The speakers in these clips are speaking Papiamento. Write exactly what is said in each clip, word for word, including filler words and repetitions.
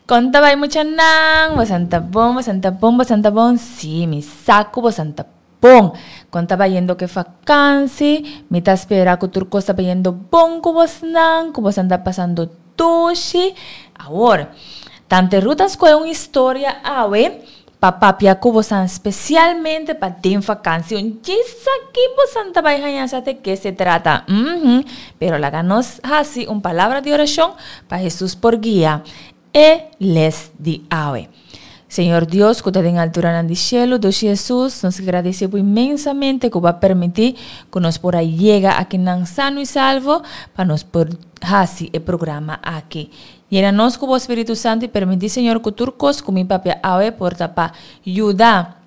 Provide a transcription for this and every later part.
Kon ta bai muchanan? Bosan ta bon, bosan ta bon, bosan ta bon? Sí, mi sa ku bosan ta bon. Kon ta bayendo ku e vakansi? Mi ta spera ku tur kos ta bayendo bon ku bosnan, ku bosan ta pasando dushi. Awor, Tante Ruth a skohe un historia awe pa papia ku bosan spesialmente pa den vakansi. Un djis aki bosan ta bai haña sa de ke se trata. Mhm. Pero laga nos hasi un palabra di orashon pa Hesus por guia e les di awe. Señor Dios ku ta den alturanan di shelu, dushi Hesus, nos gradisé bo inmensamente ku bo a permití ku nos por a yega akinan sano i salvo pa nos por hasi e programa aki. Yena nos ku bo Spiritu Santu i permití, Señor, ku tur kos ku mi papia awe por ta pa yuda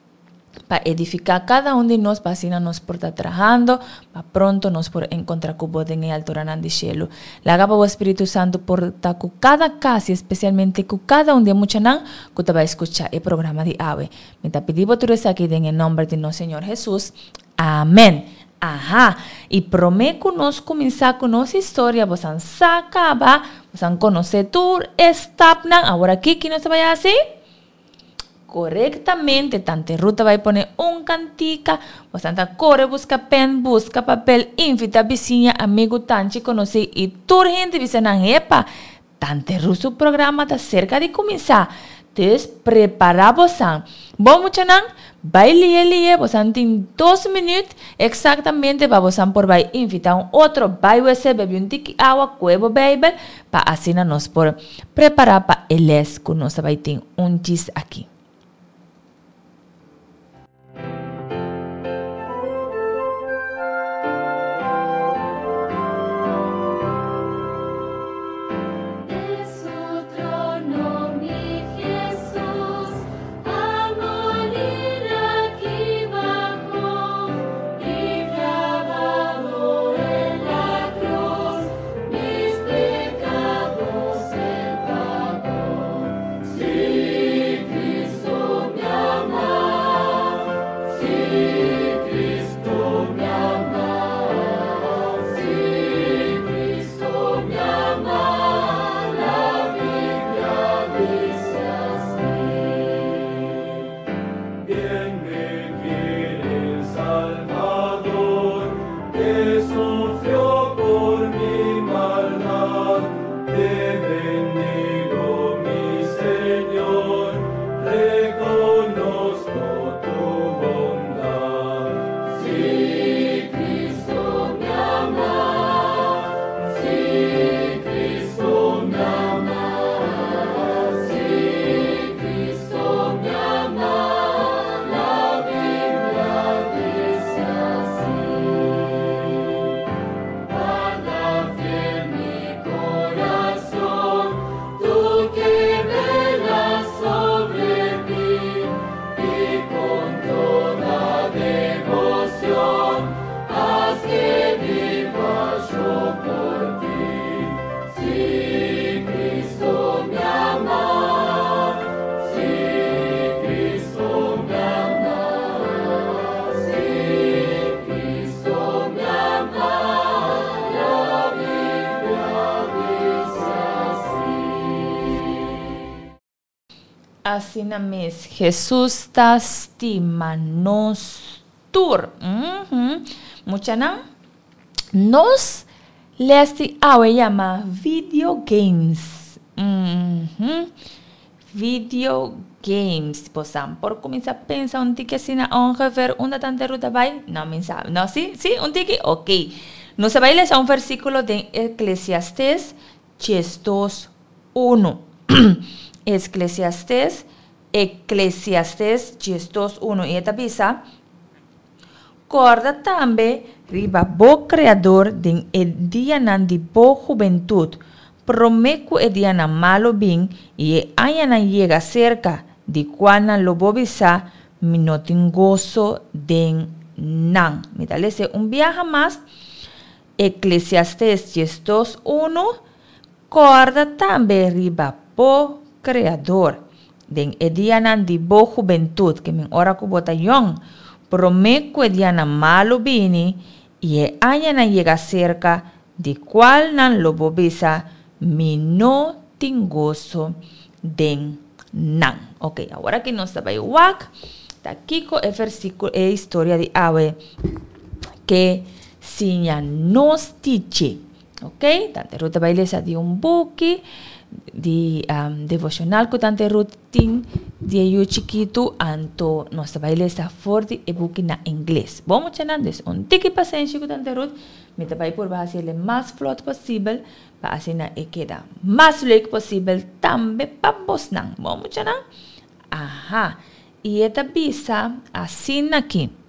pa edifiká kada un di nos pa asina nos por ta trahando pa pronto nos por enkontrá ku bo den e alturanan di shelu. Laga pa bo Spiritu Santu por ta ku kada kas i espesialmente ku kada un di e muchanan ku ta bai skuchá e programa di awe. Mi ta pidi bo tur esaki den e nòmber di nos Señor Hesus. Amèn. Aha! I promé ku nos kuminsá ku nos historia bosan sa kaba, bosan konosé tur e stapnan. Aworakí ki nos ta bai hasi? Korektamente, Tante Ruth ta bai pone un kantika, bosan ta kore buska pèn, buska papel, invitá bisiña, amigu, tanchi, konosí i tur hende bisa nan, Hepa, Tante Ruth su programa ta serka di kuminsá! Dus prepará bosan. Bon muchanan, bai lihe lihe, bosan tin dos minüt eksaktamente pa bosan por bai invitá un otro, bai wc, bebe un tiki awa, kue bo Beibel, pa asina nos por prepará pa e lès ku nos ta bai tin un djis aki. Asina mes, Hesus ta stima nos tur. Mhm. Muchanan, nos les di awe yama video games. Mhm. Video games. Bosan por kuminsá pensa un tiki asina ongeveer unda Tante Ruth a bai? No, mi sa. No, sí? Sí? Un tiki? Ok. Nos a bai lesa un versíkulo den Eclesiastés diesdos unu. Esklesiastes, Eklesiastes diesdos unu, i e ta bisa, Kòrda tambe riba bo Kreador den e dianan di bo hubentut, promé ku e dianan malu bin i e añanan yega serka, di kualnan lo bo bisa, Mi no tin goso den nan. Mi ta lesa e un biaha mas, Eklesiastes diesdos unu, Kòrda tambe riba bo Kreador den e dianan di bo hubentut, ke men ora ku bo ta yòn, promé ku e dianan malu bini i e añanan yega serka, di kualnan lo bo bisa, Mi no tin goso Den nan. Ok, awor aki nos ta bai wak ta kiko e versikulo, e historia di awe ke siña nos tiche. Ok, Tante Ruth ta bai lesa di un buki di um, devocional ku Tante Ruth tin di e yu chikitu, anto nos ta bai lesa for di e buki na ingles. Bon muchanan, dus un tiki pasenshi ku Tante Ruth, mi ta bai purba hasiel mas vlot posibel pa asina e keda mas leuk posibel tambe pa bosnan. Bon muchanan? Aha, i e ta bisa asina aki.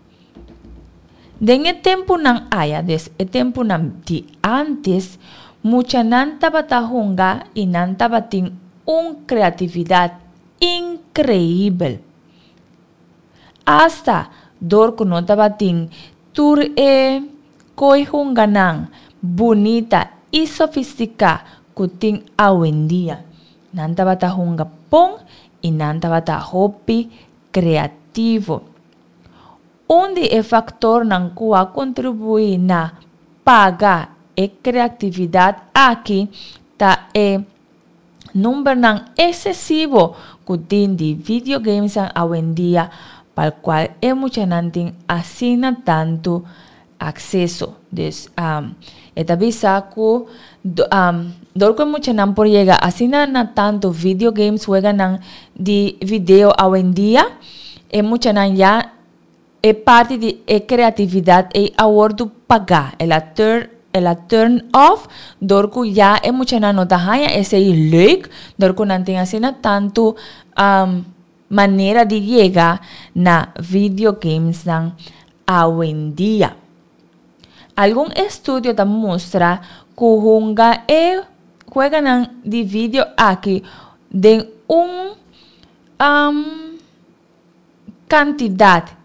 Den e tempunan aya, dus e tempunan di antes, muchanan tabata hunga i nan tabatin un kreatividat inkreibel. Asta dor ku no tabatin tur e ko'i hunganan bunita i sofistiká ku tin awendia. Nan tabata hunga bon i nan tabata hopi kreativo. Un di e faktornan ku a kontribuí na paga e kreatividat aki ta e numbernan eksesivo ku tin di videogamesnan awendia pal kual e muchanan tin asina tantu akseso. Dus um, e ta bisa ku um, dor ku e muchanan por yega asina na tantu videogames, weganan di video awendia, e muchanan ya e parti di e kreatividat ei a wòrdu pagá. El a turn, el a turn off dor ku ya e muchanan no ta haña esei leuk, dor ku nan tin asina tantu um, manera di yega na videogamesnan awendia. Algun estudio ta mustra ku hunga e weganan di video aki den un um, kantidat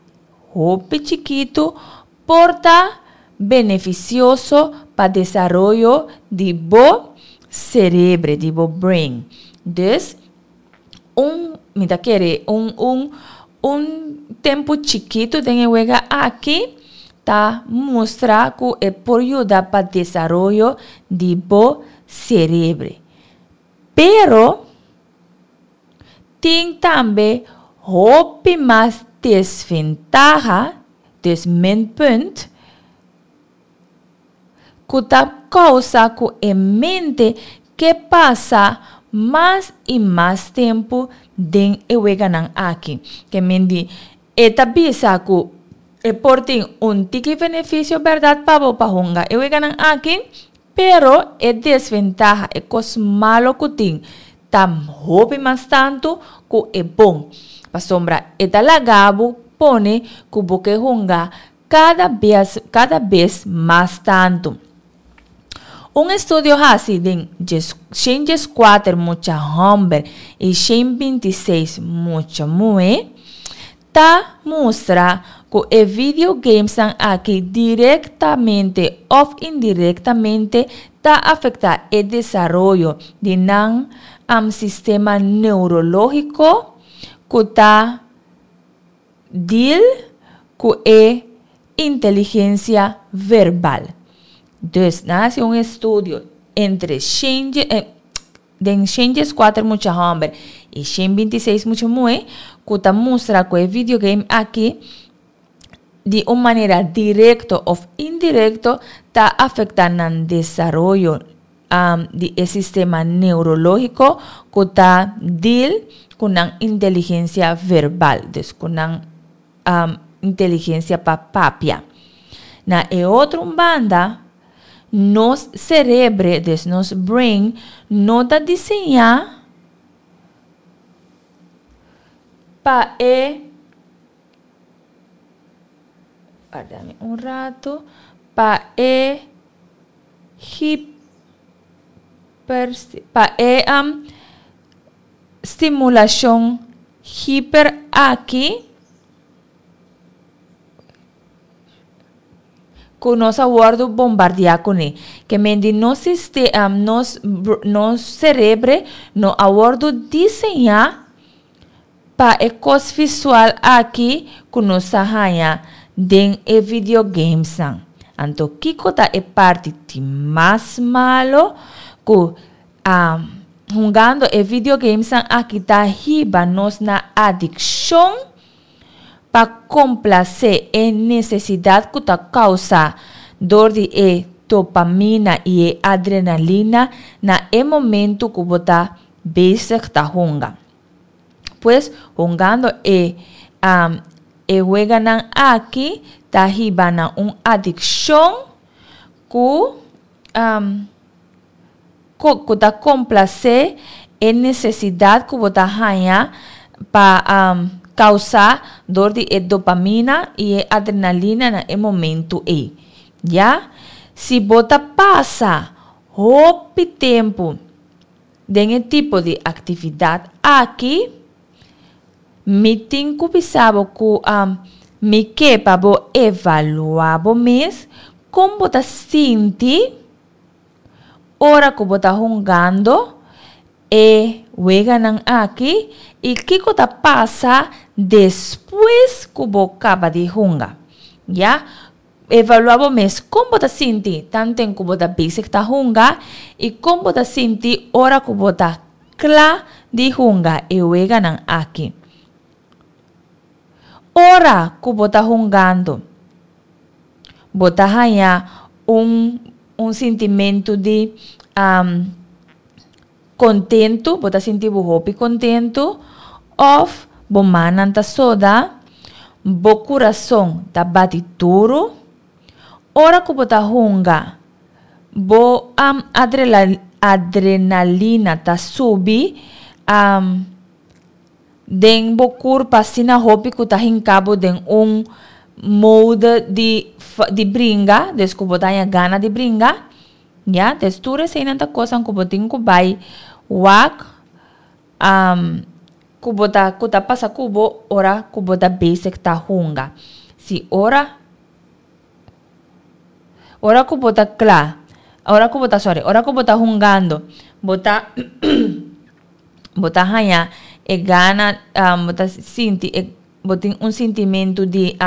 hopi chikitu por ta benefisioso pa desaroyo di bo serebro, di bo brain. Dus, un, mi ta kere, un, un, un tempu chikitu den e wega aki ta mustra ku e por yuda pa desaroyo di bo serebro. Pero, tin tambe hopi mas desventaha, dus minpunt, ku ta kousa ku e mente ke pasa mas i mas tempu den e weganan aki. Ke men di, e ta bisa ku e por tin un tiki benefisio bèrdat pa bo pa hunga e weganan aki, pero e desventaha, e kos malo ku tin, ta hopi mas tantu ku e bon. Pasobra e ta laga bo pone ku bo ke hunga kada bes, kada bes mas tantu. Un estudio hasi den shen dieskuater mucha hòmber i shen binti seis mucha muhé ta mustra ku e videogamesnan aki direktamente òf indirektamente ta afektá e desaroyo di nan um, sistema neurológiko ku ta deal ku e inteligensia verbal. Dus, nan a hasi un estudio entre shen, eh, den shen dieskuater mucha hòmber i shen binti seis mucha muhé ku ta mustra ku e videogame aki di un manera direkto òf indirekto ta afektá nan desaroyo um, di e sistema neurológiko ku ta deal ku nan inteligensia verbal, dus ku nan um, inteligensia pa papia. Na e otro banda, nos serebro, dus nos brain, no ta diseñá pa e, warda un ratu, pa e hiper, pa e um, stimulashon hiper aki ku nos a wòrdu bombardiá kuné. Ke men di nos, siste, um, nos, nos serebro no a wòrdu diseñá pa e kos visual aki ku nos a haña den e videogamesnan. Anto kiko ta e parti di mas malo ku um, Hungando e videogamesnan aki ta hiba nos na adikshon pa komplasé e nesesidat ku ta kousa dor di e dopamina i e adrenalina na e momentu ku bo ta bezig ta hunga. Pues hungando e e weganan aki ta hiba na un adikshon ku ku ta komplasé e nesesidat ku bo ta haña pa kousá dor di e dopamina i e adrenalina na e momentu ei. Ya, si bo ta pasa hopi tempu den e tipo di aktividat aki, mi tin ku bisa bo ku mi ke pa bo evaluá bo mes kon bo ta sinti ora ku bo ta hungando e weganan aki i kiko ta pasa despues ku bo kaba di hunga. Ya, evaluá bo mes kon bo ta sinti tanten ku bo ta bezig ta hunga i kon bo ta sinti ora ku bo ta kla di hunga e weganan aki. Ora ku bo ta hungando, bo ta haña un un sintimentu di kontentu, bo ta sinti bo hopi kontentu òf bo mannan ta soda, bo kurason ta bati duru. Ora ku bo ta hunga, bo adrenalina ta subi den bo kurpa asina hopi ku ta hinka bo den un mode di di bringa, des ku bo ta haña gana di bringa, ya. Des tur eseinan ta kosnan ku bo tin ku bai wak ku bo ta ku ta pasa ku bo ora ku bo ta bezig ta hunga. Si ora ora ku bo ta kla, ora ku bo ta sòri, ora ku bo ta hungando bo ta bo ta haña e gana, bo ta sinti e bo tin un sintimentu di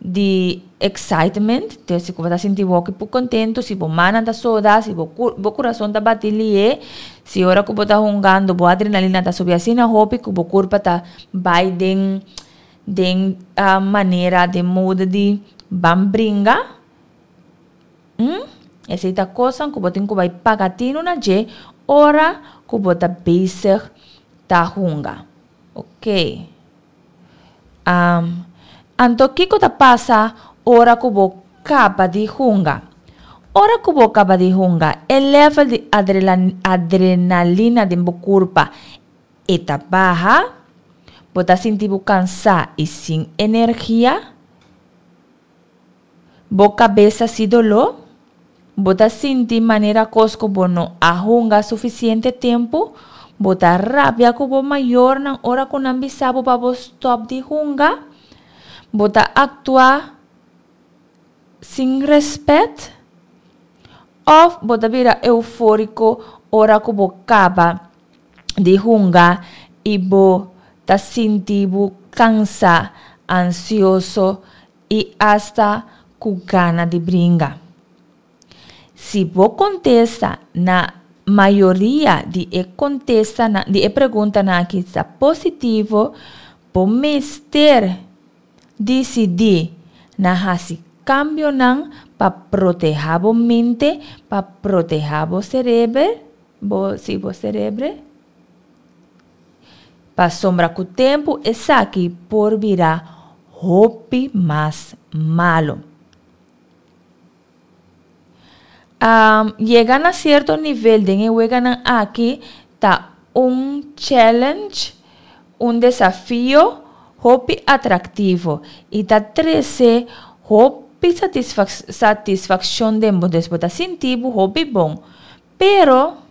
di excitement, dus ku bo ta sinti bo hopi kontentu, si bo mannan ta soda, si bo bo kurason ta bati lihe, si ora ku bo ta hungando bo adrenalina ta subi asina hopi ku bo kurpa ta bai den den manera, den mode di ban bringa. Hm, esei ta kosnan ku bo tin ku bai paga tinu na dje ora ku bo ta bezig ta hunga. Oké. Anto kiko ta pasa ora ku bo kaba di hunga? Ora ku bo kaba di hunga, e level di adrenalina den bo kurpa e ta baha, bo ta sinti bo kansá i sin energia, bo kabes ta hasi doló, bo ta sinti manera kos ku bo no a hunga sufisiente tempu, bo ta rabia ku bo mayornan ora ku nan bisa bo pa bo stòp di hunga, bo ta aktua sin rèspèt òf bo ta bira eufóriko ora ku bo kaba di hunga i bo ta sinti bo kansá, ansioso i asta ku gana di bringa. Si bo kontesta na mayoria di e kontestanan di e preguntanan aki ta positivo, bo mester disidí na hasi kambionan pa protehá bo mente, pa protehá bo sereber, bo sí bo serebre, pasobra ku tempu esaki por bira hopi mas malu. Yega na sierto nivel den e weganan aki ta un challenge, un desafio hopi atraktivo i ta trese hopi satisfakshon den bo. Dus bo ta sinti bo hopi bon. Pero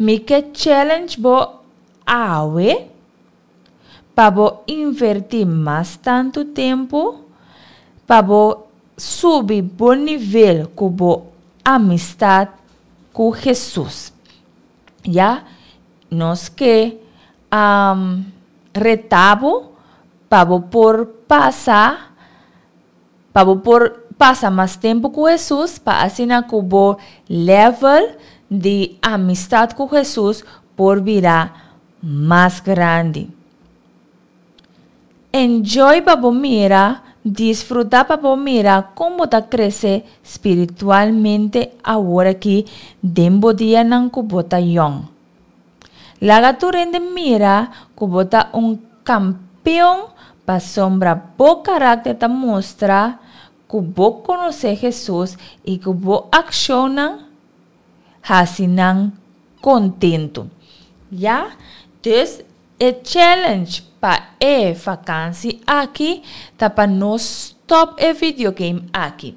mi ke challenge bo awe pa bo invertí mas tantu tempu pa bo subi bo nivel ku bo amistat ku Hesus. Ya, nos ke reta bo pa bo por pasa pa bo por pasa mas tempu ku Hesus pa asina ku bo level di amistat ku Hesus por bira mas grandi. Enjoy pa bo mira, disfrutá pa bo mira kon bo ta krese spiritualmente awor aki den bo dianan ku bo ta yòn. Laga tur hende mira ku bo ta un kampeon pasobra bo karakter ta mustra ku bo konosé Hesus i ku bo akshonnan hasi nan kontentu. Ya? Dus e challenge pa e vakansi aki ta pa nos stòp e videogame aki.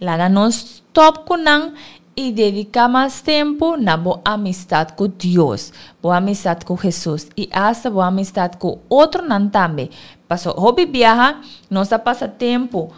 Laga nos stòp ku nan i dediká mas tempu na bo amistat ku Dios, bo amistat ku Hesus i asta bo amistat ku otronan tambe. Paso hopi biaha nos ta pasa tempu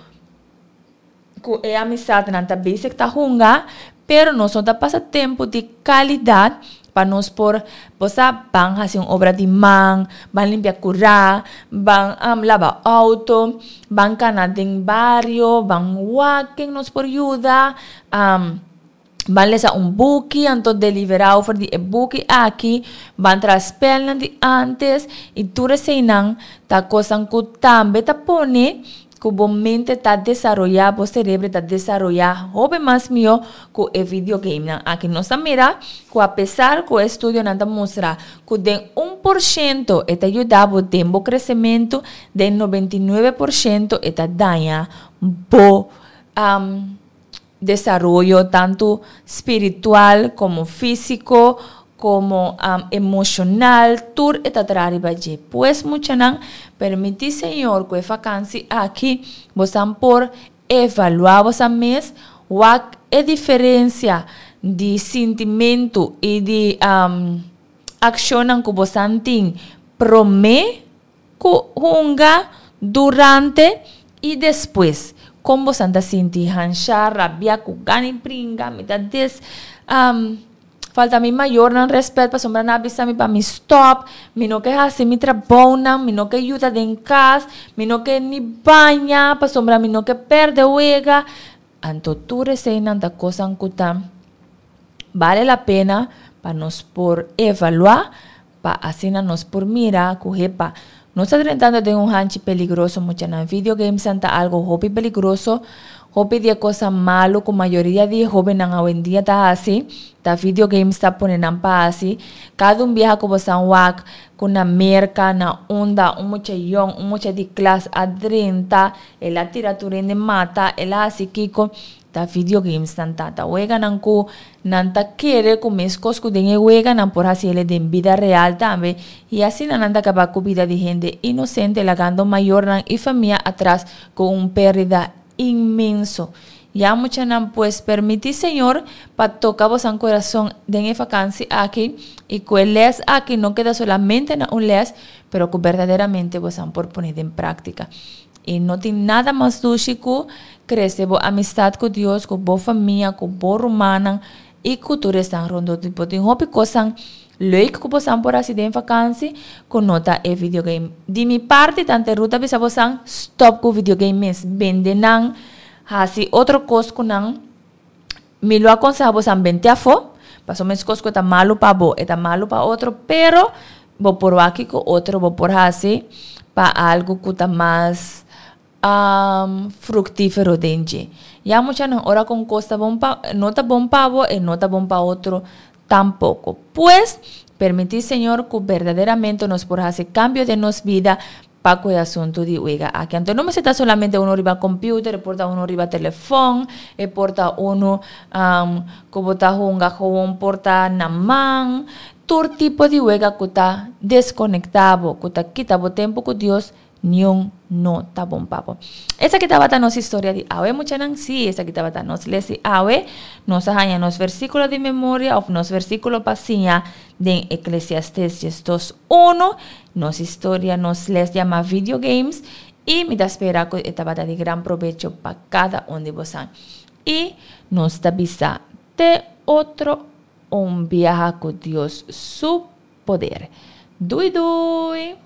ku e amistatnan ta bezig ta hunga, pero nos no ta pasa tempu di kalidat pa nos por, bo sa, ban hasi un obra di man, ban limpia kurá, ban laba outo, ban kana den bario, ban wak ken nos por yuda, ban lesa un buki, anto deliberá over di e buki aki, ban traha spèlnan di ántes, i tur eseinan ta kosnan ku tambe ta pone ku bo mente ta desaroyá, bo serebro ta desaroyá hopi mas mihó ku e videogamenan aki. Nos ta mira ku apesar ku e estudionan ta mustra ku den un por shento e ta yuda bo den bo kresementu, den noventa i nuebe por shento e ta daña bo desaroyo tantu spiritual komo físiko komo emoshonal, tur e ta traha riba dje. Pues muchanan, permití Señor ku e fakansi aki bosan por evaluá bosan mes, wak e diferensia di sintimentu i di akshonnan ku bosan tin promé ku hunga, durante i despues. Kon bosan ta sinti? Hanshá, rabiá, ku gana i bringa, mi ta des falta mi mayornan rèspèt pasobra nan a bisa mi pa mi stòp, mi no ke hasi mi trabounan, mi no ke yuda den kas, mi no ke ni baña pasobra mi no ke pèrdè wega. Anto tur eseinan ta kosnan ku ta bale la pena pa nos por evaluá, pa asina nos por mira ku hepa nos ta drentando den un hanchi peligroso. Muchanan, videogamesnan ta algo hopi peligroso. Hopi di e kosnan malu ku mayoria di e hóbennan awendia ta hasi, ta videogames ta pone nan pa hasi. Kada un biaha ku bo san wak ku na Merka, na unda un mucha yòn, un mucha di klas a drenta, el a tira tur hende mata, el a hasi kiko, ta videogames nan ta. Ta weganan ku nan ta kere ku meskos ku den e wega nan por hasi el'e den bida real tambe i asina nan ta kaba ku bida di hende inosente lagando mayornan i famia atras ku un pèrdida inmenso. Ya muchanan pues permití Señor pa toka bosan kurason den e fakansi aki i ku e lès aki no keda solamente na un lès pero ku berdaderamente bosan por pone den práktika. I no tin nada mas dushi ku krese bo amistat ku Dios, ku bo famia, ku bo rumannan i ku tur esnan rondó di bo. Tin hopi kosnan leuk ku bosan por hasi den vakansi ku no ta e videogame. Di mi parti tante Ruth a bisa bosan stòp ku videogame mes. Bende nan, hasi otro kos ku nan. Mi lo akonsehá bosan bente afó, pasobra meskos ku e ta malu pa bo, e ta malu pa otro, pero bo por wak kiko otro bo por hasi pa algu ku ta mas fruktífero den dje. Ya muchanan ora ku un kos ta bon pa no ta bon pa bo, e no ta bon pa otro tampoko. Pues, permití Señor ku berdaderamente nos por hasi kambio den nos bida pa ku e asuntu di wega aki. Anto no mester ta solamente unu riba computer, e por ta unu riba telefòn, e por ta unu ku bo ta hunga gewoon por ta na man. Tur tipo di wega ku ta deskonektá bo, ku ta kita bo tempu ku Dios, niun no ta bon pa bo. Esaki tabata nos historia di awe, muchanan. Sí, esaki tabata nos les di awe. Nos a haña nos versíkulo di memoria òf nos versíkulo pa siña den Eklesiastés diesdos unu. Nos historia, nos les yama Video Games i mi ta spera ku e tabata di gran probecho pa kada un di bosan. I nos ta bisa te otro un biaha ku Dios su poder. Dui dui!